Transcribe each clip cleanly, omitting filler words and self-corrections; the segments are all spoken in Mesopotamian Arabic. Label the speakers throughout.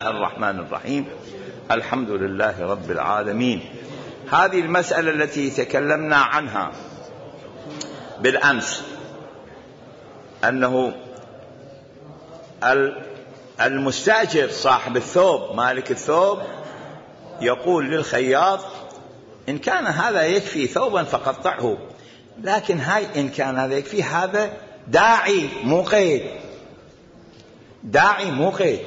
Speaker 1: الرحمن الرحيم. الحمد لله رب العالمين. هذه المسألة التي تكلمنا عنها بالأمس، أنه المستأجر صاحب الثوب مالك الثوب يقول للخياط: إن كان هذا يكفي ثوبا فقطعه، لكن هاي إن كان هذا يكفي، هذا داعي مو قيد، داعي مو قيد.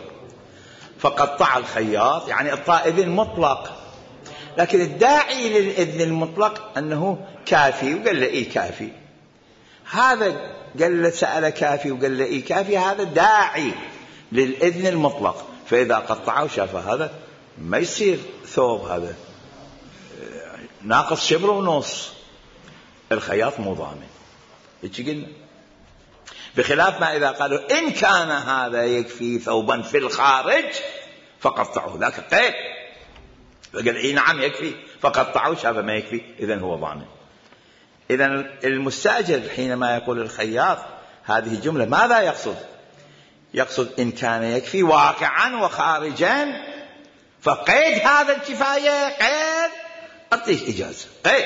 Speaker 1: فقطع الخياط يعني إعطاء إذن مطلق، لكن الداعي للإذن المطلق أنه كافي، وقال له إيه كافي. هذا قال له سأل كافي وقال له إيه كافي، هذا داعي للإذن المطلق. فإذا قطعه وشاف هذا ما يصير ثوب، هذا ناقص شبر ونص، الخياط مو ضامن. إيش قلنا؟ بخلاف ما إذا قالوا إن كان هذا يكفي ثوبا في الخارج فقطعه، ذاك قيد. فقال إيه نعم يكفي، فقطعه شاف ما يكفي، إذن هو ضامن. إذن المستأجر حينما يقول الخياط هذه الجملة ماذا يقصد؟ يقصد إن كان يكفي واقعا وخارجا، فقيد هذا الكفاية قيد، أعطيك إجازة قيد،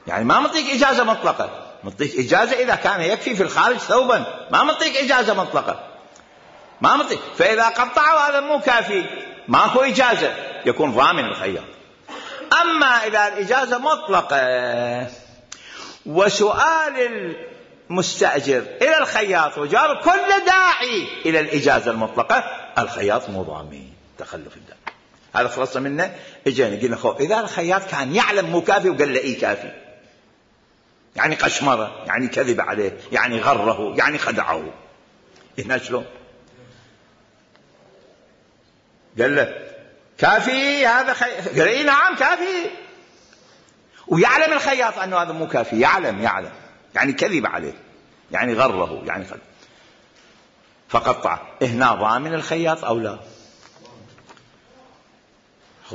Speaker 1: يعني ما مطيك إجازة مطلقة، مطيك إجازة إذا كان يكفي في الخارج ثوبا، ما مطيك إجازة مطلقة، ما مطيك. فإذا قطعوا هذا مو كافي، ماكو إجازة، يكون ضامن الخياط. أما إذا الإجازة مطلقة وسؤال المستأجر إلى الخياط وجار كل داعي إلى الإجازة المطلقة، الخياط مو ضامن تخلف الداعي. هذا خلصنا منه. إجينا قلنا خو إذا الخياط كان يعلم مو كافي وقال له إيه كافي، يعني قشمره، يعني كذب عليه، يعني غره، يعني خدعه، هنا شلون؟ قال له كافي هذا قال إيه نعم كافي، ويعلم الخياط أنه هذا مو كافي، يعلم يعني كذب عليه، يعني غره، يعني خدعه، فقطع. هنا ضامن الخياط أو لا؟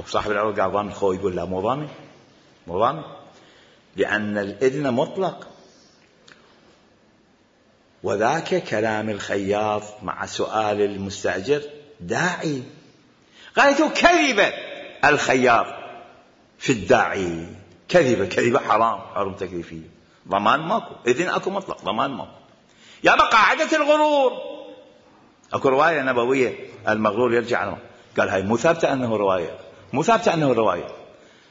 Speaker 1: صاحب العروض قال ضامن، خو يقول لا مو ضامن، مو ضامن، لأن الإذن مطلق. وذاك كلام الخياط مع سؤال المستأجر داعي. قالت كذب الخياط في الداعي، كذبة حرام تكليفية، ضمان ماكو، إذن أكو مطلق، ضمان ماكو. يا قاعدة الغرور. أكو رواية نبوية المغرور يرجع عنه، قال هاي مو ثابتة أنه رواية، مو ثابتة أنه رواية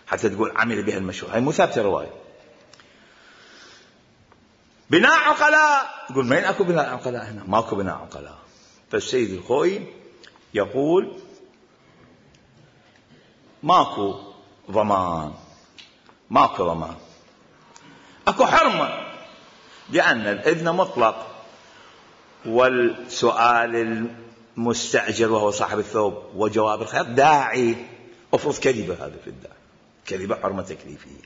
Speaker 1: حتى تقول عمل بها المشهور، هاي مو ثابتة رواية. بناء عقلاء، يقول مين أكو بناء عقلاء هنا؟ ماكو بناء عقلاء. فالسيد الخوئي يقول ماكو ضمان، ماكو ضمان، أكو حرمة، لأن الإذن مطلق، والسؤال المستأجر وهو صاحب الثوب وجواب الخياط داعي. أفرض كذبة، هذا في الداعي كذبة حرمة تكليفية.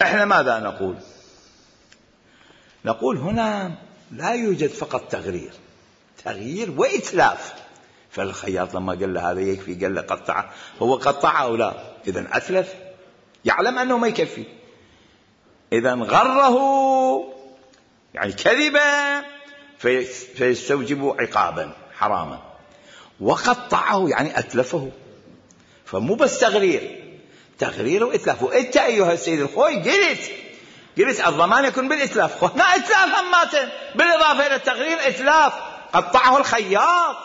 Speaker 1: احنا ماذا نقول؟ نقول هنا لا يوجد فقط تغيير وإتلاف. فالخياط لما قال له هذا يكفي، قال له قطعه، هو قطعه أو لا؟ إذن أتلف، يعلم أنه ما يكفي، إذن غره يعني كذبا، فيستوجب عقابا حراما. وقطعه يعني أتلفه، فمو بس تغرير وإتلاف. وإنت أيها السيد الخوي قلت الضمان يكون بالإتلاف، هنا إتلاف هماتن بالإضافة إلى التغرير، إتلاف، قطعه الخياط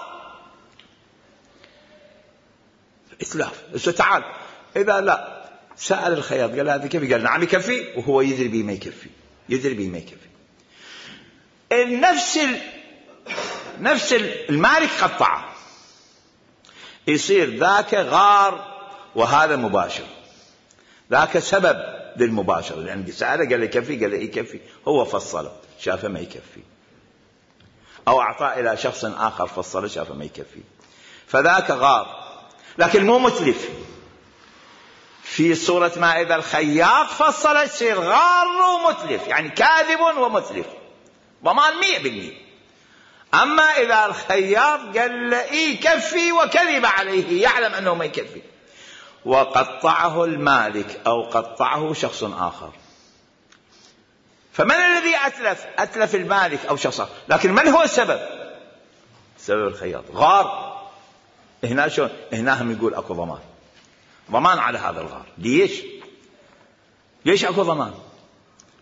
Speaker 1: إتلاف. بس تعال، إذا لا سأل الخياط قال هذا كيف، قال نعم يكفي، وهو يدري بيه ما يكفي، نفس المالك قطعه، يصير ذاك غار وهذا مباشر، ذاك سبب للمباشر، لأن سأله قال لي كفي، قال لي إيه كفي، هو فصله شافه ما يكفي، أو أعطاه إلى شخص آخر فصله شافه ما يكفي، فذاك غار، لكن مو متلف. في صورة ما إذا الخياط فصل يصير غار ومتلف، يعني كاذب ومتلف، ضمان 100%. أما إذا الخياط قال له إيه كفي وكذب عليه، يعلم أنه ما يكفي، وقطعه المالك أو قطعه شخص آخر، فمن الذي أتلف المالك أو شخص آخر، لكن من هو السبب؟ سبب الخياط. غار هنا شو هنا هم يقول اكو ضمان على هذا الغار. ليش اكو ضمان؟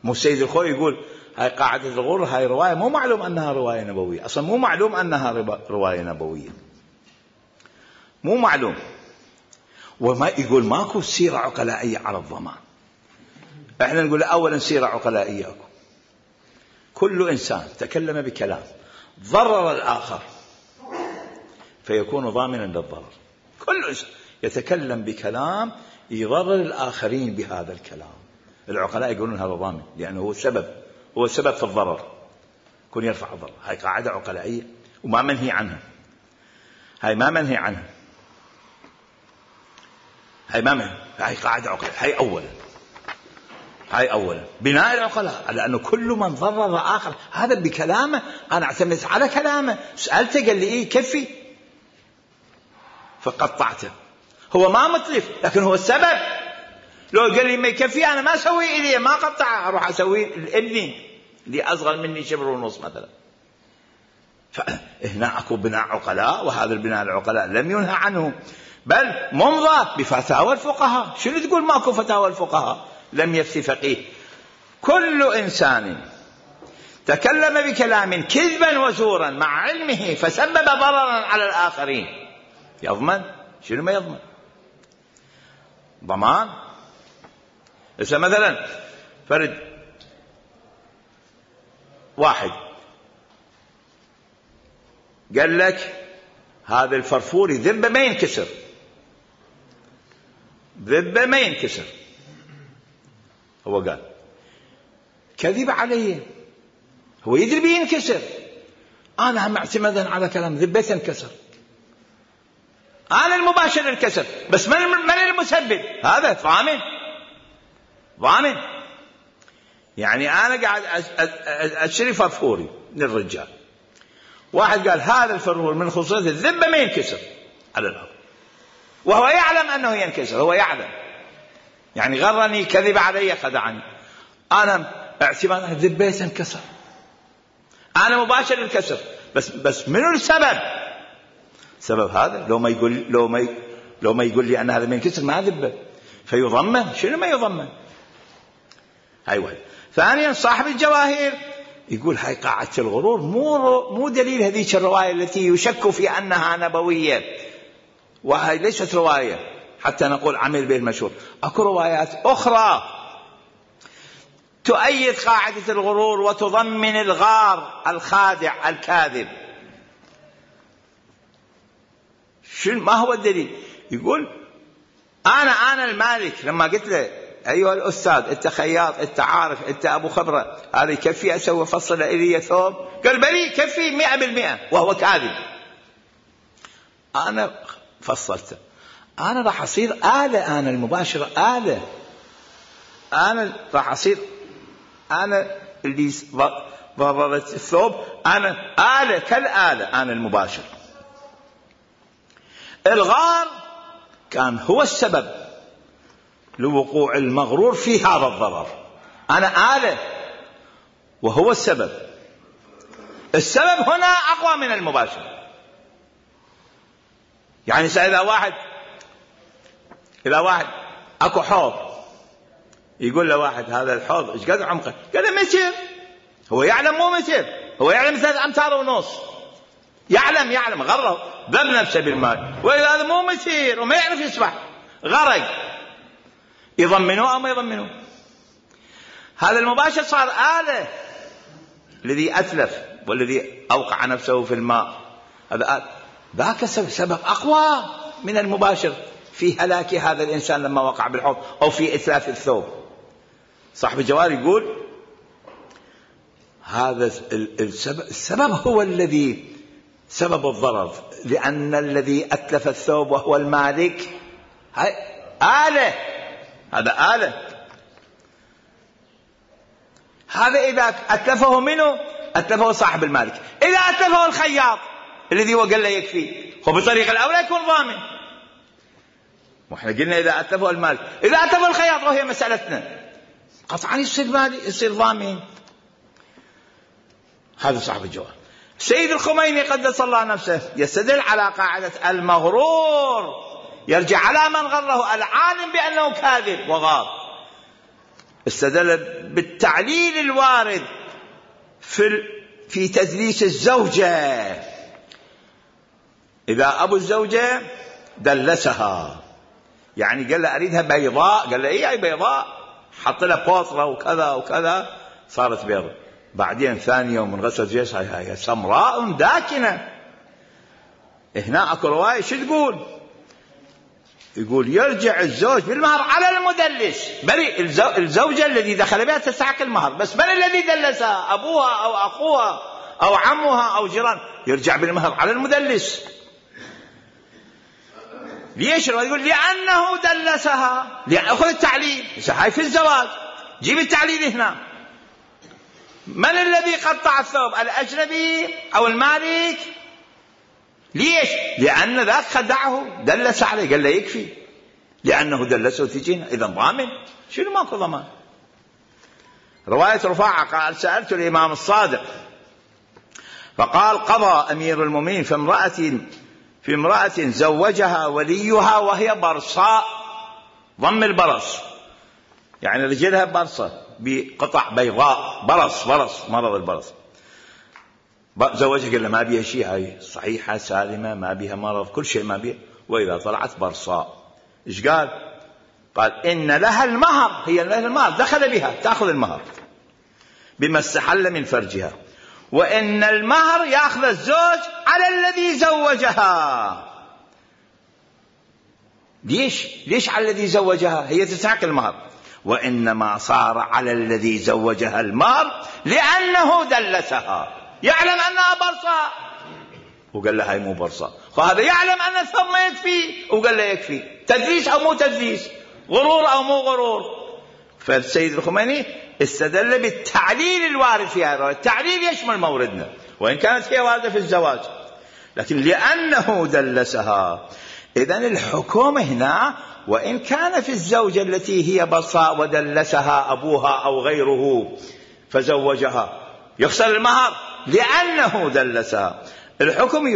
Speaker 1: مو السيد الخوي يقول هاي قاعدة الغرور، هاي رواية مو معلوم انها رواية نبوية، اصلا مو معلوم انها رواية نبوية، مو معلوم. وما يقول ماكو سيرة عقلائية على الضمان. احنا نقول اولا سيرة عقلائية اكو. كل انسان تكلم بكلام ضرر الاخر فيكون ضامنا للضرر. كل انسان يتكلم بكلام يضرر الاخرين بهذا الكلام، العقلاء يقولون هذا ضامن، لانه هو السبب في الضرر، يكون يرفع الضرر. هاي قاعدة عقلائية وما منهي عنها. هاي قاعدة عقلائية. هاي أولا بناء العقلاء على أنه كل من ضرر آخر هذا بكلامه، أنا اعتمدت على كلامه، سألته قال لي إيه كفي فقطعته. هو ما متلف لكن هو السبب. لو قال لي ما يكفي أنا ما أسوي إليه، ما قطعه، أروح أسوي لابني اللي أصغر مني 1.5 شبر مثلا. فهنا أكو بناء عقلاء، وهذا البناء العقلاء لم ينهى عنه بل ممضى بفتاوى الفقهاء. شنو تقول ماكو فتاوى الفقهاء؟ لم يفتي فقيه. كل إنسان تكلم بكلام كذبا وزورا مع علمه فسبب ضررا على الآخرين يضمن. شنو ما يضمن؟ ضمان. مثلا فرد واحد قال لك هذا الفرفور ذبه ما ينكسر، هو قال كذب علي، هو يدري بينكسر، أنا هم اعتمادا على كلام ذبه تنكسر، أنا المباشر الكسر، بس من المسبب؟ هذا ضامن. يعني أنا قاعد أشتري فرفوري للرجال، واحد قال هذا الفرفور من خصوصية الذبة ما ينكسر على الأرض، وهو يعلم أنه ينكسر، هو يعلم، يعني غرني، كذب علي، خدعني، أنا اعتماد الذبة تنكسر، أنا مباشر الكسر، بس منو السبب؟ سبب هذا لو ما يقول لي أن هذا ما ينكسر ما ذبه فيضمن. شنو ما يضمن؟ هاي واحد. ثانيا صاحب الجواهر يقول هاي قاعدة الغرور مو دليل هذيك الرواية التي يشك في أنها نبوية، وهي ليست رواية حتى نقول عمل به المشهور. أكو روايات أخرى تؤيد قاعدة الغرور وتضمن الغار الخادع الكاذب. ما هو الدليل؟ يقول أنا المالك، لما قلت له أيها الأستاذ أنت خياط، أنت عارف، أنت أبو خبرة، هذا يكفي أسوي فصل إلي ثوب؟ قال بلي كفي 100%، وهو كاذب. أنا فصلته، أنا راح أصير آلة، أنا المباشرة آلة، أنا راح أصير أنا اللي ضررت الثوب، أنا آلة كالآلة، أنا المباشر. الغار كان هو السبب لوقوع المغرور في هذا الضرر، أنا آلة وهو السبب هنا أقوى من المباشر. يعني إذا واحد أكو حوض، يقول له واحد هذا الحوض إيش قد عمقه؟ قال له متر، هو يعلم مو متر، هو يعلم 3.5 أمتار، يعلم غرق ذب نفسه بالماء، وإذا هذا مو متر وما يعرف يسبح غرق، يضمنوه أو ما يضمنوه؟ هذا المباشر صار آلة، الذي أتلف والذي أوقع نفسه في الماء هذا ذاك سبب أقوى من المباشر في هلاك هذا الإنسان لما وقع بالحوض أو في إتلاف الثوب. صاحب الجوار يقول هذا السبب هو الذي سبب الضرر، لأن الذي أتلف الثوب وهو المالك آلة، هذا آلة. هذا إذا أتلفه منه أتلفه صاحب المالك، إذا أتلفه الخياط الذي هو قال له يكفي، هو بطريقة الأولى يكون ضامن. وإحنا قلنا إذا أتلفه المالك، إذا أتلفه الخياط وهي مسألتنا قطعا يصير ضامن. هذا صاحب الجواب. سيد الخميني قدس الله نفسه يستدل على قاعدة المغرور يرجع على من غره، العالم بأنه كاذب وغار. استدل بالتعليل الوارد في تدليس الزوجة. إذا أبو الزوجة دلسها، يعني قال له أريدها بيضاء، قال له إيه أي بيضاء، حط لها بوطرة وكذا وكذا صارت بيضاء. بعدين ثاني يوم من غسل جسها هي سمراء داكنة. هنا أكو رواية شو تقول؟ يقول يرجع الزوج بالمهر على المدلس. بل الزوجة الذي دخل بها تستحق المهر، بس من الذي دلسها؟ أبوها أو أخوها أو عمها أو جيران، يرجع بالمهر على المدلس. ليش؟ يقول لأنه دلسها، أخذ التعليل. هاي في الزواج، جيب التعليل هنا. من الذي قطع الثوب؟ الأجنبي أو المالك؟ ليش؟ لأن ذاك خدعه، دلس عليه، قال له يكفي لأنه دلسه تجينا، إذا ضامن. شنو ماكو ضمان؟ رواية رفاعة قال سألت الإمام الصادق فقال قضى أمير المؤمنين في امرأة زوجها وليها وهي برصاء، ضم البرص يعني رجلها برصة بقطع بيضاء، برص مرض البرص. زوجها قال له ما بيها شيء، هاي صحيحة سالمة ما بيها مرض، كل شيء ما بيها، وإذا طلعت برصاء إيش قال؟ قال إن لها المهر، هي لها المهر، دخل بها تأخذ المهر بما استحل من فرجها، وإن المهر يأخذ الزوج على الذي زوجها. ليش على الذي زوجها؟ هي تستحق المهر، وإنما صار على الذي زوجها المهر لأنه دلسها، يعلم أنها برصاء وقال لها هاي مو برصاء، فهذا يعلم أن الثوب ما يكفي وقال له يكفي. تدليس أو مو تدليس، غرور أو مو غرور. فالسيد الخميني استدل بالتعليل الوارد في هذا. التعليل يشمل موردنا، وإن كانت هي واردة في الزواج، لكن لأنه دلسها. إذن الحكم هنا وإن كان في الزوجة التي هي برصاء ودلسها أبوها أو غيره فزوجها يخسر المهر لأنه دلسها. الحكم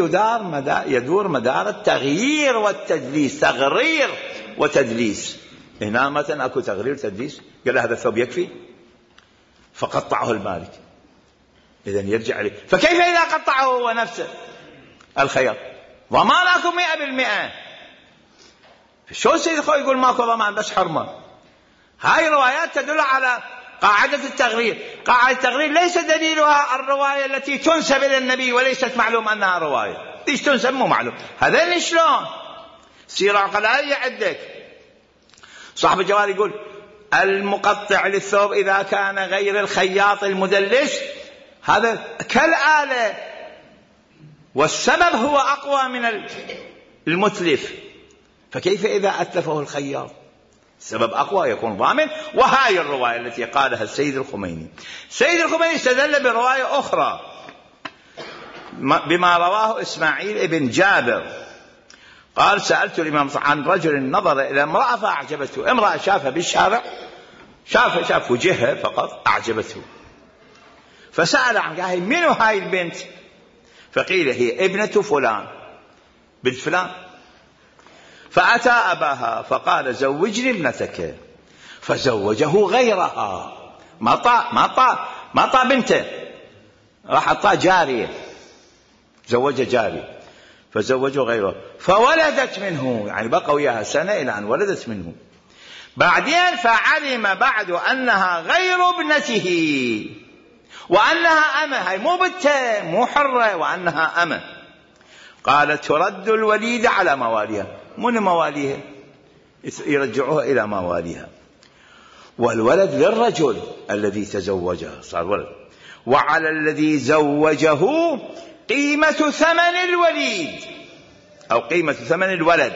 Speaker 1: يدور مدار التغيير والتدليس، تغرير وتدليس. هنا مثلا أكو تغرير وتدليس، قال هذا الثوب يكفي فقطعه المالك، إذن يرجع عليه. فكيف إذا قطعه هو نفسه الخياط؟ ضمان أكو 100%. شو السيد الخوي يقول ماكو ضمان بس حرمة؟ هاي روايات تدل على قاعدة التغرير. قاعدة التغرير ليس دليلها الرواية التي تنسب إلى النبي وليست معلوم أنها رواية. ليش تنسب مو معلوم؟ هذا شلون؟ سيرة عقلائية عندك. صاحب الجوال يقول المقطع للثوب إذا كان غير الخياط المدلس هذا كالآلة، والسبب هو أقوى من المتلف، فكيف إذا أتلفه الخياط؟ السبب أقوى يكون ضامن. وهاي الرواية التي قالها السيد الخميني. السيد الخميني استدل برواية أخرى بما رواه إسماعيل ابن جابر قال سألت الإمام عن رجل نظر إلى امرأة فأعجبته. امرأة شافها بالشارع، شاف وجهها فقط أعجبته، فسأل عن قال من هاي البنت؟ فقيل هي ابنة فلان، بنت فلان. فأتى أباها فقال زوجني ابنتك، فزوجه غيرها. ما طا بنته، راح أعطاه جارية، زوجه جارية فزوجه غيره، فولدت منه، يعني بقى وياها سنة إلى أن ولدت منه. بعدين فعلم بعد أنها غير ابنته وأنها أمة، هاي مو بنته مو حرة، وأنها أمة. قال ترد الوليدة على مواليها، من مواليها يرجعوها إلى مواليها، والولد للرجل الذي تزوجها صار ولد، وعلى الذي زوجه قيمة ثمن الوليد أو قيمة ثمن الولد،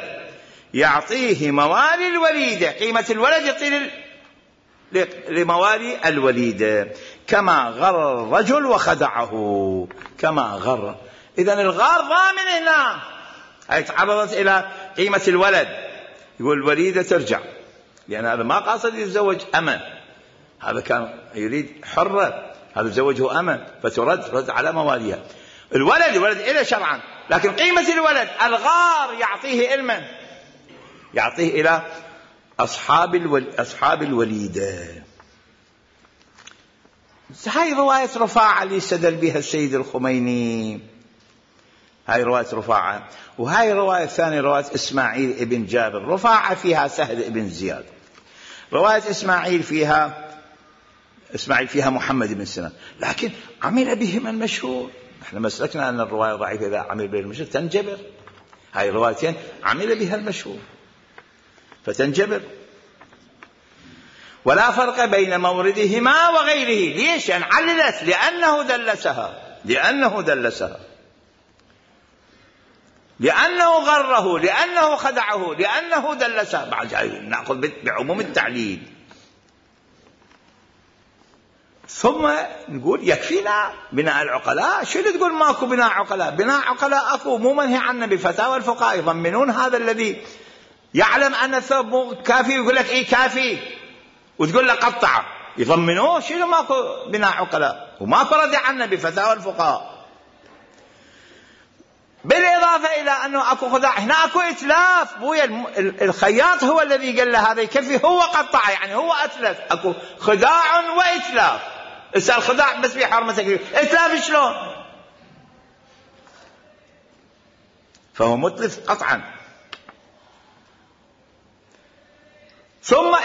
Speaker 1: يعطيه موالي الوليدة، قيمة الولد يعطيه لموالي الوليدة، كما غر الرجل وخدعه، كما غر. إذن الغار ضامن هنا، هي تعرضت إلى قيمة الولد، يقول الوليدة ترجع، لأن هذا ما قاصد يتزوج أمة، هذا كان يريد حرة، هذا زوجه أمة فترد على مواليها. الولد إلى شرعا، لكن قيمة الولد الغار يعطيه علما، يعطيه إلى أصحاب الوليدة. هاي رواية رفاعة اللي استدل بها السيد الخميني، هاي رواية رفاعة. وهاي رواية ثانية رواية إسماعيل ابن جابر. رفاعة فيها سهل ابن زياد، رواية إسماعيل فيها محمد بن سنان، لكن عمل بهما المشهور. احنا مسلكنا أن الرواية ضعيفة إذا عمل بها المشهور تنجبر، هاي الروايتين عمل بها المشهور فتنجبر. ولا فرق بين موردهما وغيره. ليش؟ يعني عللت لأنه دلسها، لأنه غره، لأنه خدعه، لأنه دلسها. بعد نأخذ بعموم التعليل. ثم نقول يكفينا بناء العقلاء. شو اللي تقول ماكو بناء عقلاء؟ بناء عقلاء أكو، مو منهي عنه بفتاوى الفقهاء. يضمنون هذا الذي يعلم أن الثوب مو كافي يقول لك إيه كافي، وتقول له قطعه، يضمنوه. شنو ماكو بناء عقلاء وماكو رد عنه بفتاوى الفقهاء. بالإضافة إلى أنه أكو خداع، هنا أكو إتلاف. بويا الخياط هو الذي قال له هذا يكفي، هو قطع، يعني هو أتلف. أكو خداع وإتلاف. إذا الخداع بس بحرمة تكليف، إتلاف شلون؟ فهو متلف قطعا. ثم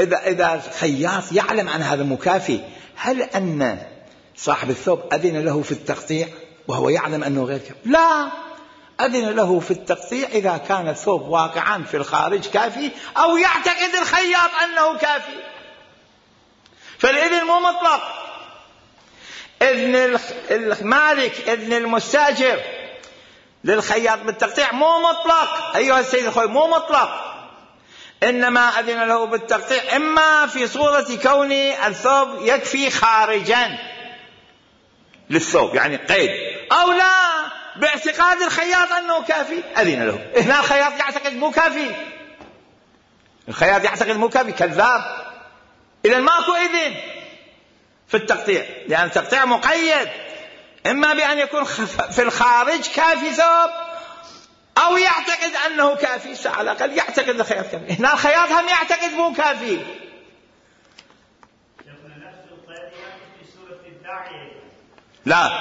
Speaker 1: إذا الخياط يعلم أن هذا مكافي، هل أن صاحب الثوب أذن له في التقطيع وهو يعلم أنه غير كافي؟ لا، أذن له في التقطيع إذا كان الثوب واقعا في الخارج كافي، أو يعتقد الخياط أنه كافي. فالإذن مو مطلق. إذن المالك، إذن المستاجر للخياط بالتقطيع مو مطلق أيها السيد الخوي، مو مطلق. إنما أذن له بالتقطيع إما في صورة كون الثوب يكفي خارجا للثوب، يعني قيد، أو لا باعتقاد الخياط أنه كافي أذن له. هنا الخياط يعتقد مو كافي، الخياط يعتقد مو كافي، كذاب. إذن ماكو إذن في التقطيع، لأن التقطيع مقيد إما بأن يكون في الخارج كافي ثوب، أو يعتقد أنه كافي، على الأقل يعتقد الخياط كافي. هنا الخياط هم يعتقد مو كافي. لا،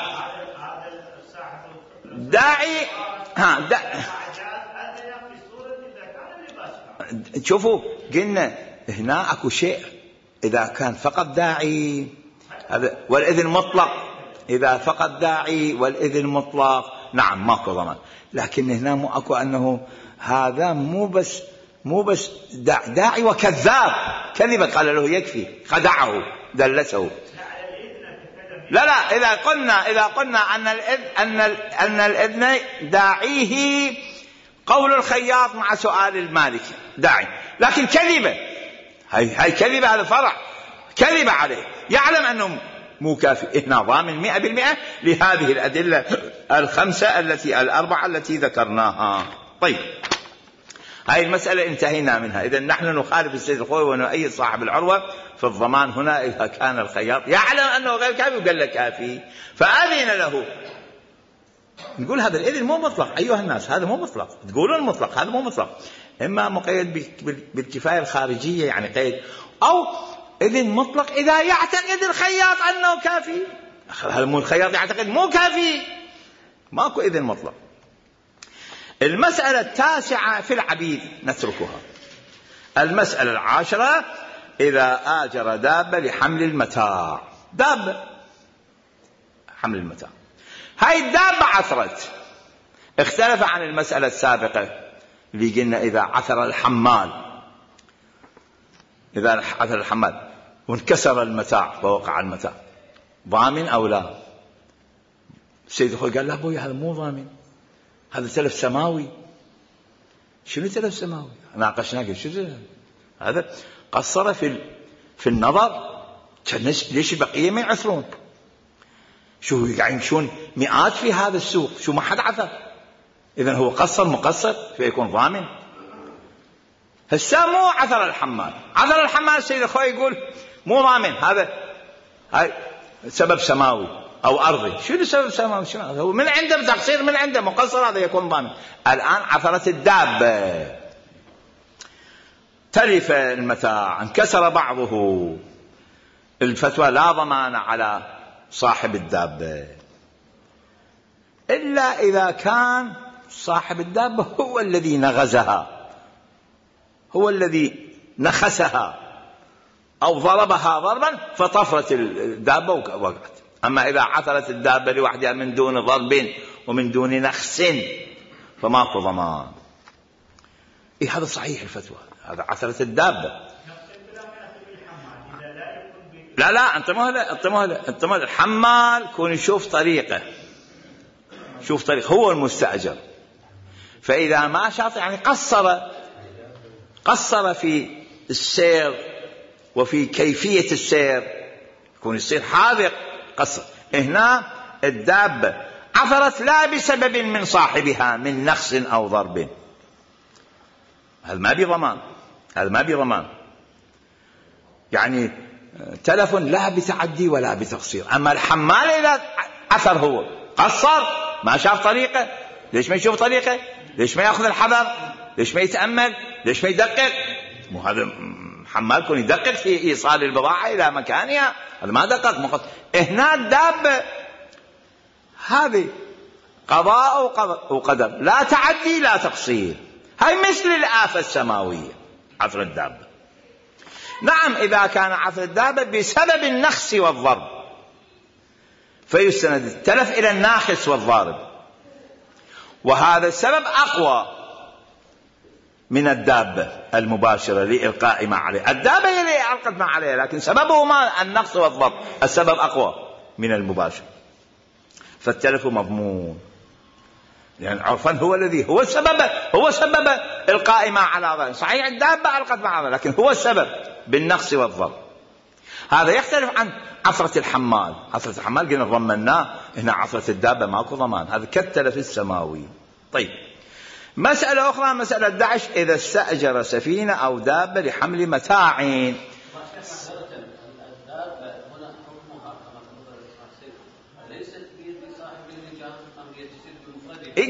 Speaker 1: داعي شوفوا قلنا هنا أكو شيء إذا كان فقط داعي هذا والإذن مطلق، إذا فقط داعي والإذن مطلق نعم ماكو ضمان. لكن هنا مو أكو أنه هذا مو بس داعي وكذاب، كذب قال له يكفي، خدعه دلسه. لا، إذا قلنا أن الإذن داعيه قول الخياط مع سؤال المالك داعي، لكن كذبة، هاي كذبة، هذا فرع كذب عليه، يعلم أنه مو كافي. هنا ضامن 100% لهذه الأدلة الأربعة التي ذكرناها. طيب، هاي المسألة انتهينا منها. إذن نحن نخالف السيد الخوي ونؤيد صاحب العروة في الضمان هنا إذا كان الخياط يعلم أنه غير كافي وقال له كافي فأذن له. نقول هذا الإذن مو مطلق أيها الناس، هذا مو مطلق. تقولون مطلق، هذا مو مطلق، إما مقيد بالكفاية الخارجية يعني قيد، أو إذن مطلق إذا يعتقد الخياط أنه كافي. هذا مو الخياط يعتقد مو كافي، ماكو إذن مطلق. المسألة التاسعة في العبيد نتركها. المسألة العاشرة إذا آجر دابة لحمل المتاع، دابة حمل المتاع، هاي الدابة عثرت، اختلف عن المسألة السابقة اللي قلنا إذا عثر الحمال وانكسر المتاع فوقع المتاع ضامن أو لا. السيد أخوي قال لا أبوي هذا مو ضامن، هذا تلف سماوي. شنو تلف سماوي؟ ناقشناه شنو هذا؟ قصر في النظر، ليش البقية ما يعثرون؟ شو يعني يمشون مئات في هذا السوق، شو ما حد عثر؟ إذن هو مقصر فيكون ضامن. هسه مو عثر الحمال السيد أخوي يقول مو ضامن، هذا هاي سبب سماوي أو أرضي. شنو سبب سماوي؟ شنو هو من عنده تقصير، من عنده مقصر، هذا يكون ضامن. الآن عثرت الدابة، تلف المتاع، انكسر بعضه، الفتوى لا ضمان على صاحب الدابة إلا إذا كان صاحب الدابة هو الذي نغزها، هو الذي نخسها أو ضربها ضربا فطفرت الدابة ووقعت. أما إذا عثرت الدابة لوحدها من دون ضرب ومن دون نخس فماكو ضمان. هذا صحيح الفتوى، هذا عثرت الدابة. لا انتمه الحمال يكون يشوف طريقه، شوف طريق، هو المستأجر. فإذا ما شاط يعني قصر في السير وفي كيفية السير، يكون يصير حاذق قصر. هنا الدابة عثرت لا بسبب من صاحبها من نخس أو ضرب، هذا ما بضمان، يعني تلف لا بتعدي ولا بتقصير. أما الحمال إذا عثر هو قصر ما شاف طريقه، ليش ما يشوف طريقه؟ ليش ما يأخذ الحذر؟ ليش ما يتأمل؟ ليش ما يدقق؟ مو هذا حمال يكون يدقق في إيصال البضاعة إلى مكانها، هذا ما دقق. هنا الدابة هذه قضاء وقدر، لا تعدي لا تقصير. هاي مثل الآفة السماوية عثر الدابة. نعم إذا كان عثر الدابة بسبب النخس والضرب فيستند التلف إلى الناخس والضارب، وهذا السبب أقوى من الدابة المباشرة لإلقاء ما عليه. الدابة هي اللي ألقت ما عليها، لكن سببه ما النقص والضرب، السبب أقوى من المباشر، فالتلف مضمون. يعني عرفا هو سبب إلقاء ما على ظهره. صحيح الدابة ألقت ما على ظهره، لكن هو السبب بالنقص والضرب. هذا يختلف عن عثرة الحمال. عثرة الحمال قلنا ضمناه، هنا عثرة الدابة ماكو ضمان، هذا كالتلف السماوي. طيب، مسألة أخرى، مسألة 11: إذا استأجر سفينة أو دابة لحمل متاع.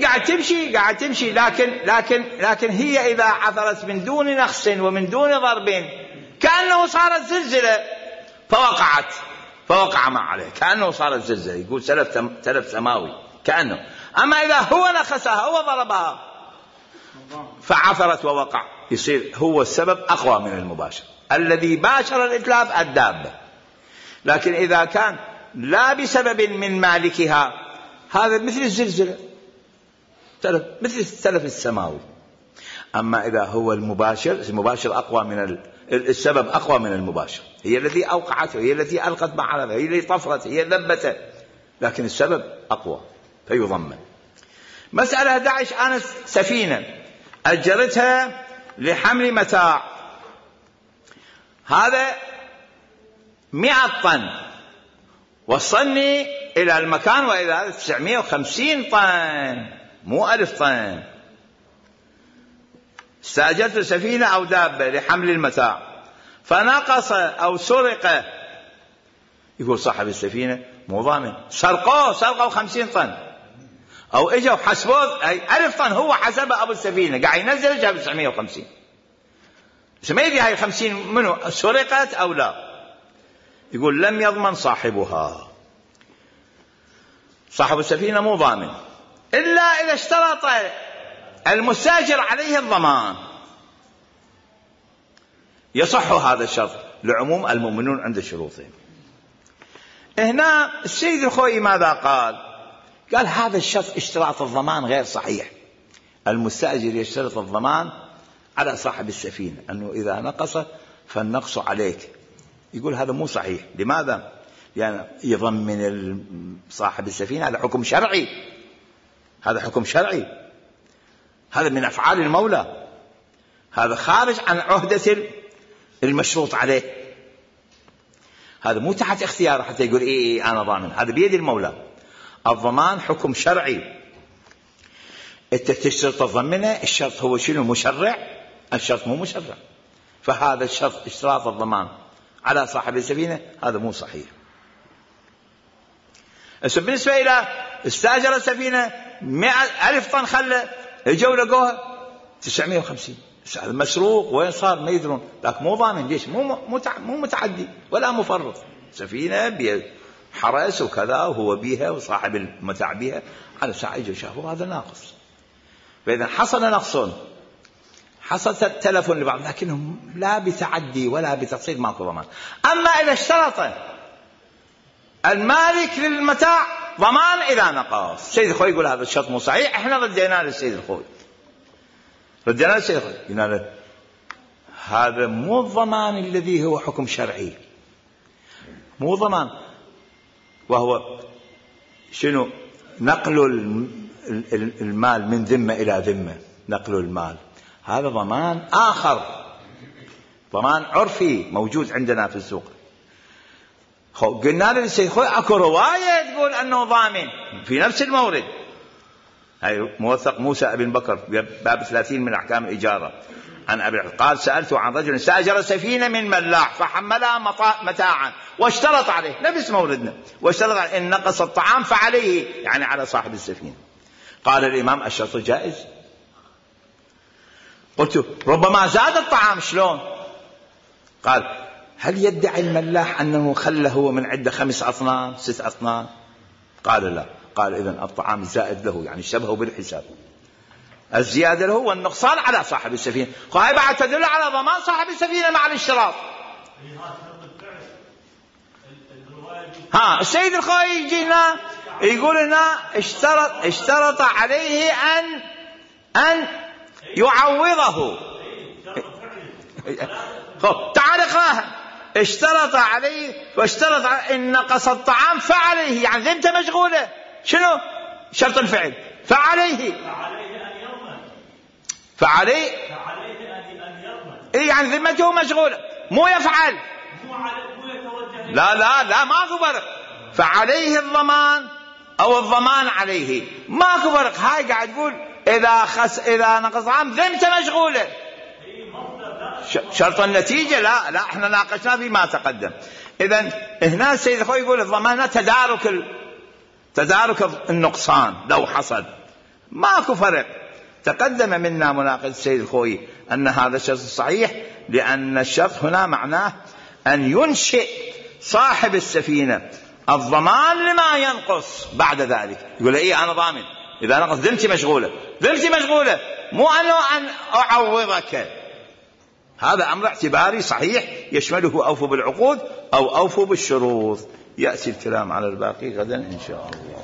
Speaker 1: قاعد تمشي لكن هي إذا عثرت من دون نخس ومن دون ضرب كأنه صارت زلزلة فوقع ما عليه، كأنه صارت زلزلة، يقول تلف سماوي كأنه. أما إذا هو نخسها هو ضربها فعثرت ووقع، يصير هو السبب أقوى من المباشر. الذي باشر الإتلاف الدابة، لكن إذا كان لا بسبب من مالكها هذا مثل الزلزلة، مثل التلف السماوي. أما إذا هو المباشر أقوى من السبب أقوى من المباشر، هي التي أوقعته، هي التي ألقت معرضة، هي التي طفرت، هي ذبته، لكن السبب أقوى فيضمن. مسألة 11: أنا سفينة أجرتها لحمل متاع، هذا 100 طن، وصلني إلى المكان وإذا 950 طن، مو 1000 طن. استأجرت سفينة أو دابة لحمل المتاع فنقص أو سرق، يقول صاحب السفينة مو ضامن، سرقوا 50 طن، أو إجوا حسبوه 1000 طن، هو حسبه أبو السفينة قاعد ينزل جاب 950، ما يدري هاي 50 منه سرقت أو لا. يقول لم يضمن صاحبها، صاحب السفينة مو ضامن إلا إذا اشترط المستأجر عليه الضمان، يصح هذا الشرط لعموم المؤمنون عند شروطهم. هنا السيد الخوئي ماذا قال هذا الشرط اشتراط الضمان غير صحيح. المستأجر يشترط الضمان على صاحب السفينة أنه إذا نقص فالنقص عليك. يقول هذا مو صحيح. لماذا؟ يعني يضمن صاحب السفينة، هذا حكم شرعي، هذا حكم شرعي، هذا من أفعال المولى، هذا خارج عن عهدة المشروط عليه، هذا مو تحت اختياره حتى يقول إيه أنا ضامن، هذا بيد المولى. الضمان حكم شرعي، أنت تشترط تضمنه، الشرط هو شنو؟ مشرع، الشرط مو مشرع. فهذا الشرط اشتراط الضمان على صاحب السفينة هذا مو صحيح. بالنسبة إلى استاجر السفينة 100,000 طن خلة، اجوا لقوها 950. هذا مسروق، وين صار ما يدرون، لكن مو ضامن. ليش؟ مو متعدي ولا مفرط، سفينة بها حرس وكذا وهو بيها وصاحب المتاع بيها، على ساعة اجوا شافوا هذا ناقص. فإذا حصل نقص، حصل تلف لبعض، لكنهم لا بتعدي ولا بتقصير، ماكو ضمان. أما إذا اشترط المالك للمتاع ضمان إذا نقص، السيد الخوي يقول هذا الشرط مو صحيح، احنا ردينا للسيد الخوي، ردينا للسيد الخوي، قلنا له هذا مو الضمان الذي هو حكم شرعي، مو ضمان. وهو شنو؟ نقل المال من ذمة إلى ذمة، نقل المال هذا ضمان آخر، ضمان عرفي موجود عندنا في السوق. قلنا للسيد الخوي اكو رواية تقول أنه ضامن في نفس المورد، هاي موثق موسى ابن بكر باب 30 من أحكام الإجارة عن أبي قال سألت عن رجل استأجر سفينة من ملاح فحملها متاعا واشترط عليه، نفس موردنا، واشترط عليه إن نقص الطعام فعليه، يعني على صاحب السفينة. قال الإمام الشرط جائز. قلت ربما زاد الطعام، شلون؟ قال هل يدعي الملاح أنه خله هو من عدة 5 أطنان 6 أطنان؟ قال لا. قال إذن الطعام زائد له، يعني شبهه بالحساب، الزيادة له والنقصان على صاحب السفينة. هاي بعد تدل على ضمان صاحب السفينة مع الاشتراط. السيد الخوي يجينا يقول لنا اشترط عليه أن يعوضه. تعال اقراها. اشترط عليه واشترط إن نقص الطعام فعليه، يعني ذمته مشغولة. شنو شرط الفعل؟ فعليه أن يضمن. يعني ذمته مشغولة، مو يفعل، لا ماكو فرق. فعليه الضمان أو الضمان عليه، ماكو فرق. هاي قاعد تقول إذا نقص عام ذمته مشغولة. شرط النتيجة لا احنا ناقشنا فيما تقدم. إذن هنا السيد الخوي يقول الضمان تدارك النقصان لو حصل، ماكو فرق. تقدم منا مناقض السيد الخوي أن هذا الشرط صحيح، لأن الشرط هنا معناه أن ينشئ صاحب السفينة الضمان لما ينقص بعد ذلك. يقول أنا ضامن إذا نقص، ذمتي مشغولة، مو أن أعوضك. هذا أمر اعتباري صحيح يشمله أوفوا بالعقود أو أوفوا بالشروط. يأتي الكلام على الباقي غدا إن شاء الله.